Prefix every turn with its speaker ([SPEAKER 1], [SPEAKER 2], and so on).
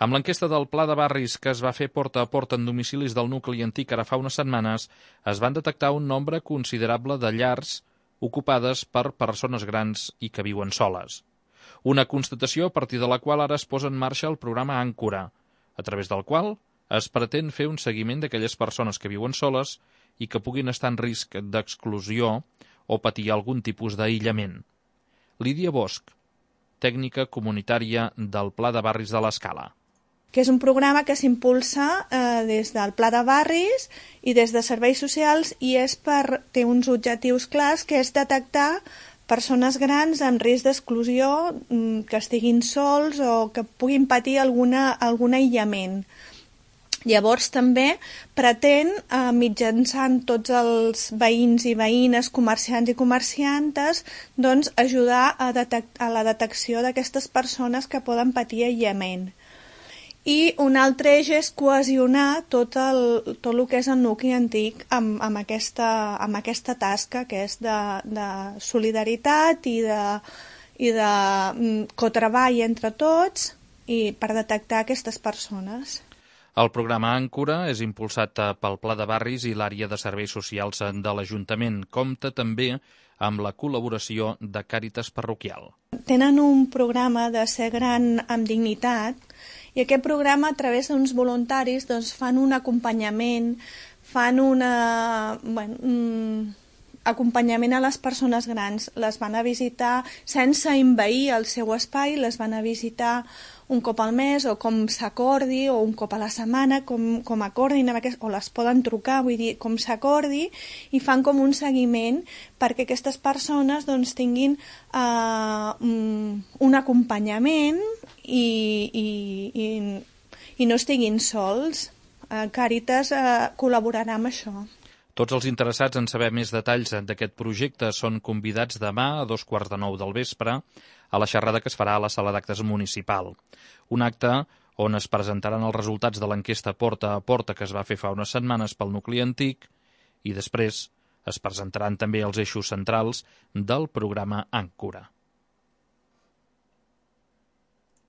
[SPEAKER 1] Amb l'enquesta del Pla de Barris que es va fer porta a porta en domicilis del nucli antic ara fa unes setmanes, es van detectar un nombre considerable de llars ocupades per persones grans i que viuen soles. Una constatació a partir de la qual ara es posa en marxa el programa Àncora, a través del qual es pretén fer un seguiment d'aquelles persones que viuen soles i que puguin estar en risc d'exclusió o patir algun tipus d'aïllament. Lídia Bosch, tècnica comunitària del Pla de Barris de l'Escala.
[SPEAKER 2] Que és un programa que s'impulsa des del Pla de Barris i des de Serveis Socials i té uns objectius clars, que és detectar persones grans en risc d'exclusió, que estiguin sols o que puguin patir algun aïllament. Llavors també pretén, mitjançant tots els veïns i veïnes, comerciants i comerciantes, doncs ajudar a la detecció d'aquestes persones que poden patir aïllament. I un altre eix és cohesionar tot el que és el nucli antic amb aquesta tasca que és de solidaritat i de cotreball entre tots i per detectar aquestes persones.
[SPEAKER 1] El programa Àncora és impulsat pel Pla de Barris i l'àrea de serveis socials de l'Ajuntament. Compta també amb la col·laboració de Càritas Parroquial.
[SPEAKER 2] Tenen un programa de ser gran amb dignitat i aquest programa, a través d'uns voluntaris, doncs, fan un acompanyament, fan acompanyament a les persones grans. Les van a visitar sense envair el seu espai, les van a visitar un cop al mes o com s'acordi, o un cop a la setmana, com acordin, o les poden trucar, vull dir, com s'acordi, i fan com un seguiment perquè aquestes persones doncs, tinguin un acompanyament i no estiguin sols. Càritas col·laborarà amb això.
[SPEAKER 1] Tots els interessats en saber més detalls d'aquest projecte són convidats demà a 8:45 del vespre a la xerrada que es farà a la sala d'actes municipal. Un acte on es presentaran els resultats de l'enquesta porta a porta que es va fer fa unes setmanes pel nucli antic i després es presentaran també els eixos centrals del programa Àncora.